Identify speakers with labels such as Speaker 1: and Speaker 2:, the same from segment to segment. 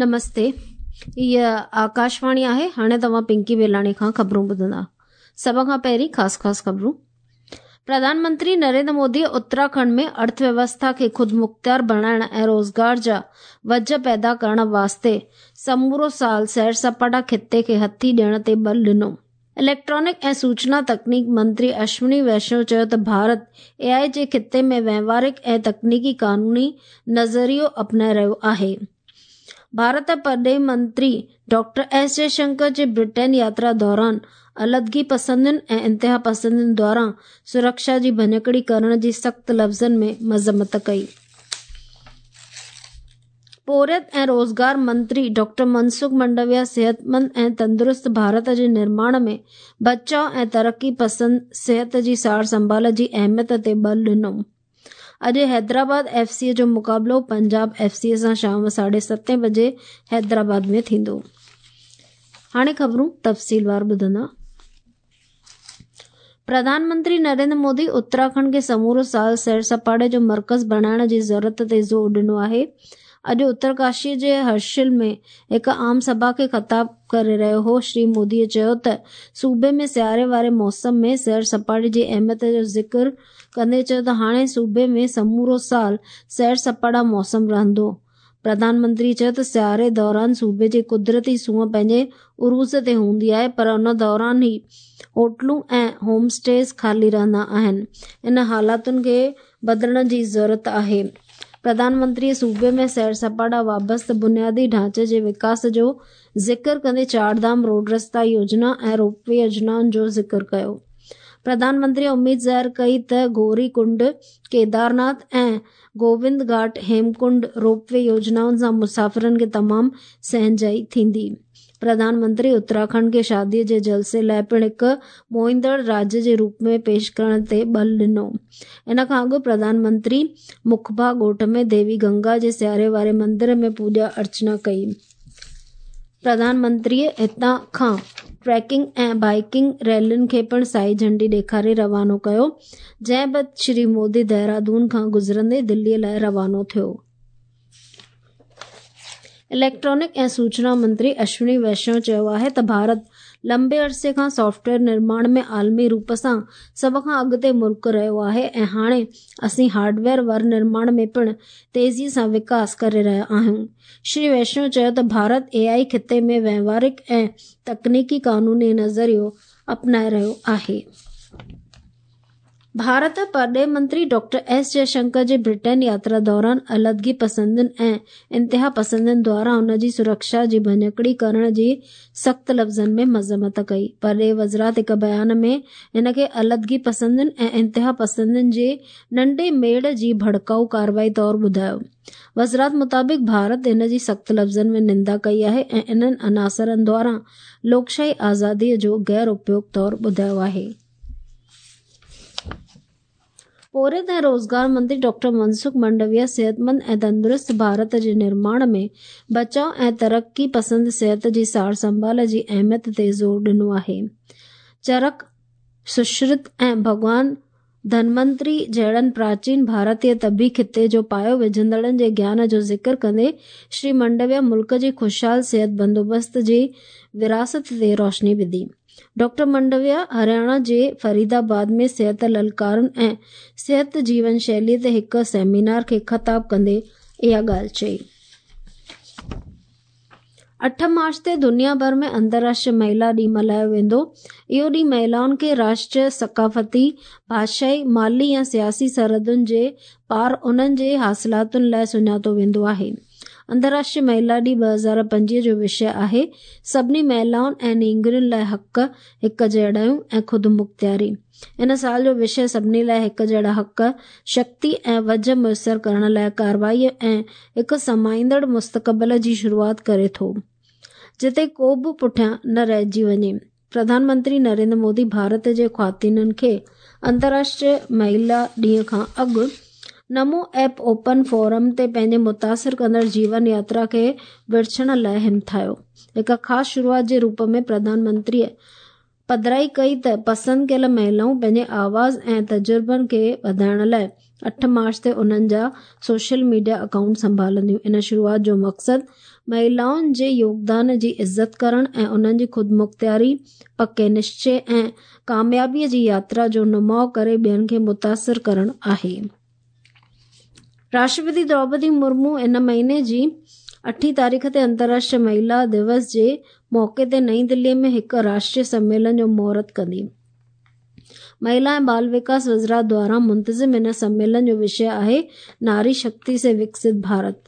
Speaker 1: نمستي هيء آڪاشواڻي آهي هاڻي توهان پنڪي بيلاڻي کان خبرون ٻڌندا سڀ کان پهرين خاص خاص خبرون پرڌان منتري نريندر مودي اتراکنڊ ۾ ارٿ ويوسٿا کي خود مختيار بڻائڻ ۽ روزگار جا وجهه پيدا ڪرڻ واسطي سمورو سال سير سپاٽا خطي کي هٿي ڏيڻ تي بل ڏنو اليڪٽرانڪ ۽ سوچنا تڪنيڪ منتري اشوني ويشنو چيو ته ڀارت اي آء جي خطي ۾ وهنوارڪ ۽ تڪنيڪي قانوني نظريو اپنائي رهيو آهي. ڀارت پرڏيهي منتري ڊاڪٽر ايس جي شنڪر جي برٽين ياترا دوران علحدگي پسندين ۽ انتهاپسندين دواران سرڪشا جي ڀڃڪڙي ڪرڻ جي سخت لفظن ۾ مذمت ڪئي. پورهيت ۽ روزگار منتري ڊاڪٽر منسخ منڊويا صحتمند ۽ تندرست ڀارت جي نرماڻ ۾ بچاء ۽ ترقي پسند صحت جي سار سنڀال جي اهميت تي ٻل ڏنو. اڄ حيدرآباد ايف سي جو مقابلو پنجاب ايف سي سان شام ساڍي ستين بجي حيدرآباد ۾ ٿيندو. هاڻي خبرون تفصيلوار ٻڌندا. پرڌان منتري نريندر مودي اتراکنڊ کي سمورو سال سير سپاٽي جو مرڪز بڻائڻ جي ضرورت تي زور ڏنو آهي. اڄ اترڪاشي جي هرشل ۾ هڪ عام سڀا کي خطاب ڪري رهيو هو. شري مودي چيو ته صوبي ۾ سياري واري موسم ۾ سير سپاٽي جي اهميت جو ذڪر ڪندي چيو ته هاڻي صوبي ۾ سمورو سال سير سپاٽا موسم رهندو. پرڌان منتري چيو ته سياري دوران صوبي جي قدرتي سونهن پنهنجي عروج تي هوندي آهي پر ان دوران ئي هوٽلون ۽ هوم اسٽيز خالي رهندا آهن، ان حالتن کي بدلڻ جي ضرورت آهي. پرڌان منتري صوبي ۾ سير سپاٽا وابسته بنيادي ڍانچي جي وڪاس جو ذڪر ڪندي چار ڌام روڊ رستا يوجنا ۽ روپ وي يوجنائن جو ذڪر ڪيو. پرڌان منتري اميد ظاهر ڪئي ته گوري ڪنڊ، ڪيدارناٿ ۽ گووند گهاٽ هيمڪنڊ روپ وي يوجنائن سان مسافرن کي تمام سهنجائي ٿيندي. پرڌان منتري اتراکنڊ کي شادي جي جلسي لاء پڻ هڪ موهيندڙ راجيه جي روپ ۾ پيش ڪرڻ تي ٻل ڏنو. ان کان اڳ پرڌان منتري مکبا ڳوٺ ۾ ديوي گنگا جي سياري واري مندر ۾ پوڄا ارچنا ڪئي. پرڌان منتريء هتان کان ٽريڪنگ ۽ بائيڪنگ ريلين کي پڻ سائي جهنڊي ڏيکاري روانو ڪيو، جنهن بعد شري مودي دهرادون کان گذرندي دليء لاء روانو ٿيو. اليڪٽرانڪ ۽ سوچنا منتري اشوني ويشنو چيو آهي ته ڀارت لمبي عرصي کان سافٽ ويئر نرماڻ ۾ عالمي روپ سان سڀ کان اڳتي ملڪ رهيو آهي ۽ هاڻي اسين هارڊ ويئر ورنرماڻ ۾ پڻ تيزي سان وڪاس ڪري رهيا آهيون. شري ويشنو چيو ته ڀارت اي آء خطي ۾ وهنوارڪ ۽ تڪنيڪي قانوني نظريو اپنائي رهيو آهي. ڀارت پرڏيهي منتري ڊاڪٽر ايس جي شنڪر جي برٽين ياترا دوران علحدگي پسندن ۽ انتهاپسندن دواران ان جي سرڪشا جي ڀڃڪڙي ڪرڻ جي سخت لفظن ۾ مذمت ڪئي. پرڏيهي وزارت هڪ بيان ۾ ان کي علحدگي پسندن ۽ انتهاپسندن جي ننڍي ميڙ جي ڀڙڪائو ڪارروائي طور ٻڌايو. وزارت مطابق ڀارت ان جي سخت لفظن ۾ نندا ڪئي آهي ۽ انهن عناصرن دواران لوڪشاهي آزادي جو غير اپيوگ طور ٻڌايو آهي. پورهيت ۽ روزگار منتري ڊاڪٽر منسخ منڊويا صحتمند ۽ تندرست ڀارت جي نرماڻ ۾ بچاء ۽ ترقي پسند صحت جي سار سنڀال جي اهميت تي زور ڏنو آهي. چرڪ، سشرت ۽ ڀڳوان ڌنونتري جهڙن پراچين ڀارتي طبي خطي جو پايو وجهندڙن جي گيان جو ذڪر ڪندي شري منڊويا ملڪ جي خوشحال صحت بندوبست جي وراثت تي روشني وڌي. ڊاڪٽر منڊويا هرياڻا جي فريد آباد ۾ صحت للڪارن ۽ صحت جيون شيلي تي هڪ سيمينار کي خطاب ڪندي اها ڳالهه چئي. اٺ مارچ تي دنيا ڀر ۾ انترراشٽريه مهلا ڏينهن ملهايو ويندو. اهو ڏينهن مهلائن کي راشٽريه، ثقافتي، ڀاشائي، مالي يا سياسي سرحدن جي پار انهن جي حاصلاتن لاء سڃاتو ويندو آهي. انترراشٽريه مهلا ڏينهن 2025 جو وشيه آهي سڀني مهلائن ۽ نينگرين لاء حق، هڪ جهڙايون ۽ خودمختياري. ان سال جو وشيه سڀني لاء هڪ جهڙا حق، شڪتي ۽ وجهه ميسر ڪرڻ لاء ڪارروائي ۽ هڪ سمائيندڙ مستقبل جي شروعات ڪري ٿو، جتي ڪو به پٺيان نه رهجي وڃي. پرڌان منتري نريندر مودي ڀارت جي خواتينن کي انترراشٽريه مهلا ڏينهن کان اڳ نمو ايپ اوپن فورم تي پنهنجي متاثر ڪندڙ جيون ياترا کي ورڇڻ لاء همٿايو. هڪ خاص شروعات جي روپ ۾ پرڌان منتريء پڌرائي ڪئي ته پسند ڪيل مهلائون پنهنجي آواز ۽ تجربن کي وڌائڻ لاء 8 مارچ تي انهن جا سوشل ميڊيا اڪائونٽ سنڀالنديون. ان شروعات جو مقصد مهلائن جي يوگدان جي عزت ڪرڻ ۽ انهن جي خودمختياري، پڪي نشچي ۽ ڪاميابي جي ياترا جو نماء ڪري ٻين کي متاثر ڪرڻ آهي. راشٽرپتي دروپدي مرمو ان مهيني جي اٺين تاريخ تي انترراشٽريه مهلا دوس جي موقعي تي نئين دلي ۾ هڪ راشٽريه سميلن جو مهورت ڪندي. مهلا ۽ بال وڪاس وزارت دواران منتظم ان سميلن جو وشيه آهي ناري شڪتي سي وڪست ڀارت.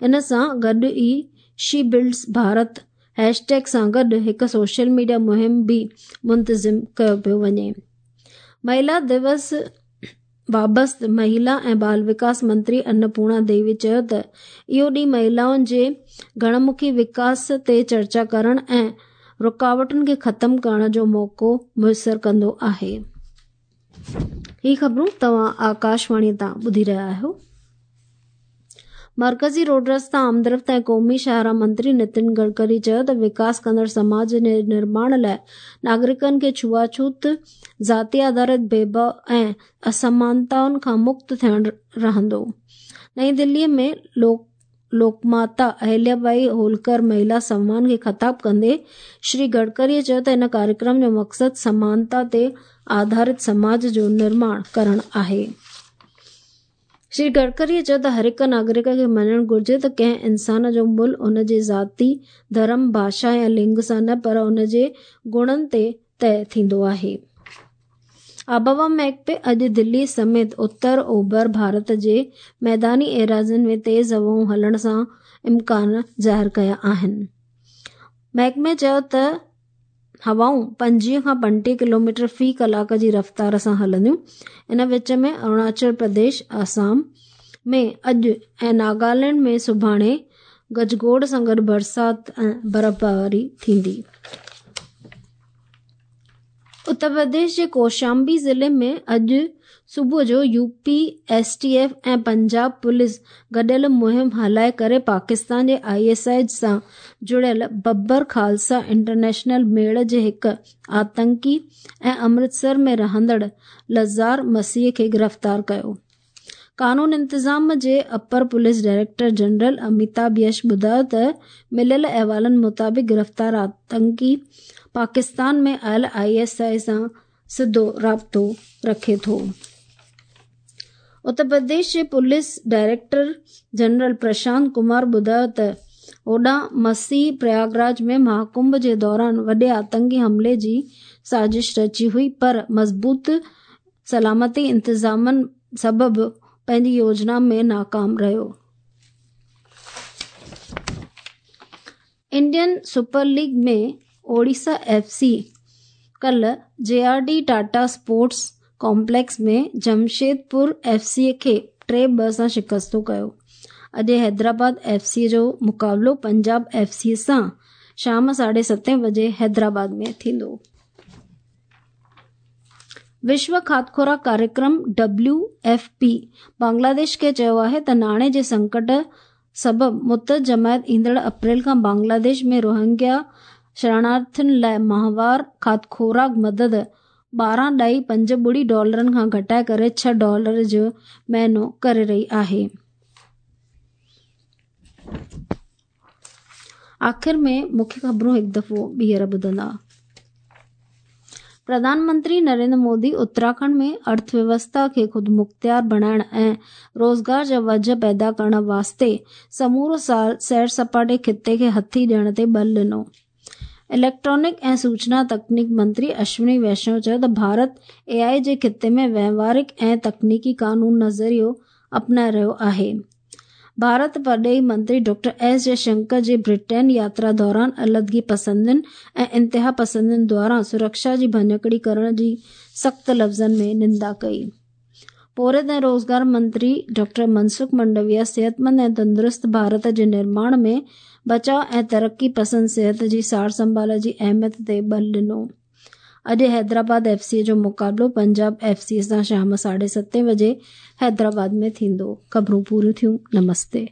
Speaker 1: ان سان گڏ ئي شي بلڊز ڀارت هيش ٽيگ سان گڏ هڪ سوشل ميڊيا مهم به منتظم ڪيو پيو وڃي. مهلا دوس بابت مهلا ۽ بال وڪاس منتري انپورڻا ديوي چيو ته اهو ڏينهن مهلائن جي گهڻ مکي وڪاس تي چرچا ڪرڻ ۽ رڪاوٽن کي ختم ڪرڻ جو موقعو ميسر ڪندو آهي. هي خبرون توهان آڪاشواڻي تان ٻڌي رهيا آهيو. مرڪزي روڊ رستا، آمدرفت ۽ قومي شاهراهه منتري نتن گڊڪري چيو ته وڪاس ڪندڙ سماج جي نرماڻ لاء ناگرڪن کي ڇوئاڇوت، ذاتي آڌارت ڀيدڀاء ۽ اسمانتائن کان مڪت ٿيڻ رهندو. نئين دلي ۾ لوڪماتا اهليا ٻائي هولڪر مهلا سنوان کي خطاب ڪندي شري گڊڪري چيو ته ان ڪاريڪرم جو مقصد سمانتا تي آڌارت سماج جو نرماڻ ڪرڻ آهي. شري گڊڪريء چيو ته هر هڪ ناگرڪ کي مڃڻ گهرجي ته ڪنهن انسان جو ملهه ان جي ذاتي، ڌرم، ڀاشا يا لنگ سان نه پر ان جي گڻن تي طئي ٿيندو آهي. آبهوا محڪمي اڄ دلي سميت اتر اوڀر ڀارت جي ميداني ايراضين ۾ تيز هوائون هلڻ سان امڪان ظاهر ڪيا آهن. محڪمي چيو ته هوائون 25 کان 35 ڪلوميٽر في ڪلاڪ جي رفتار سان هلنديون. ان وچ ۾ اروناچل پرديش، آسام ۾ اڄ ۽ ناگالينڊ ۾ سڀاڻي گجگوڙ سان گڏ برسات ۽ برفباري ٿيندي. اتر پرديش جي ڪوشامبي ضلعي ۾ اڄ صبح جو U P S T F ۽ Punjab police گڏيل مهم هلائي ڪري پاڪستان جي I S I سان جڙيل ببر خالصا انٽرنيشنل ميڙ جي هڪ آتنڪي ۽ امرتسر ۾ رهندڙ لزار مسيح کي گرفتار ڪيو. قانون انتظام جي upper police director general Amitabh Yash ٻڌايو ته مليل احوالن مطابق گرفتار آتنڪي پاڪستان ۾ آيل I S I سان سڌو رابطو رکي ٿو. اتر پرديش جي police director general Prashant Kumar ٻڌايو ته هوڏانهن مسيح پرياگراج ۾ مهاڪنڀ جي دوران وڏي آتنڪي حملي جي سازش رچي هئي پر مضبوط سلامتي انتظامن سبب پنهنجي يوجنا ۾ ناڪام رهيو. Indian super league ۾ Odisha F C ڪلهه J R D Tata sports complex ۾ Jamshedpur F C کي 3-2 سان شڪستو ڪيو. اڄ حيدرآباد ايف سي جو مقابلو پنجاب ايف سي سان شام 7:30 وڄي حيدرآباد ۾ ٿيندو. وشو کاڌ خوراڪ ڪاريڪرم، ڊبليو ايف پي، بنگلاديش کي چيو آهي ته ناڻي جي سنڪٽ سبب متحد جماعت ايندڙ اپريل کان بنگلاديش ۾ روهنگيا شرڻارٿين لاء ماهوار کاڌ خوراڪ مدد 12.56 ڊالرن کان گهٽائي ڪري 6 ڊالر جو مهينو ڪري رهي آهي. آخر ۾ مکيه خبرون هڪ دفعو ٻيهر ٻڌندا. پرڌان منتري نريندر مودي اتراکنڊ ۾ ارٿ ويوسٿا کي خودمختيار بڻائڻ ۽ روزگار جا وجهه پيدا ڪرڻ واسطي سمورو سال سير سپاٽي خطي کي هٿي ڏيڻ تي ٻل ڏنو. اليڪٽرانڪ ۽ سوچنا تڪنيڪ منتري اشوني ويشنو چيو ته ڀارت اي آء جي خطي ۾ وهنوارڪ ۽ تڪنيڪي قانون نظريو اپنائي رهيو آهي. ڀارت پرڏيهي منتري ڊاڪٽر ايس جي شنڪر جي برٽين ياترا دوران علحدگي پسندن ۽ انتهاپسندن دواران سرڪشا جي ڀڃڪڙي ڪرڻ جي سخت لفظن ۾ نندا ڪئي. پورهيت ۽ روزگار منتري ڊاڪٽر منسخ منڊويا صحتمند ۽ تندرست ڀارت جي نرماڻ ۾ بچاء ۽ ترقي پسند صحت جي سارسنڀال جي اهميت تي ٻل ڏنو. اڄ حيدرآباد ايف سي جو مقابلو پنجاب ايف سي سان شام 7:30 وڄي حيدرآباد ۾ ٿيندو. خبرون پوريون ٿيون. نمستي.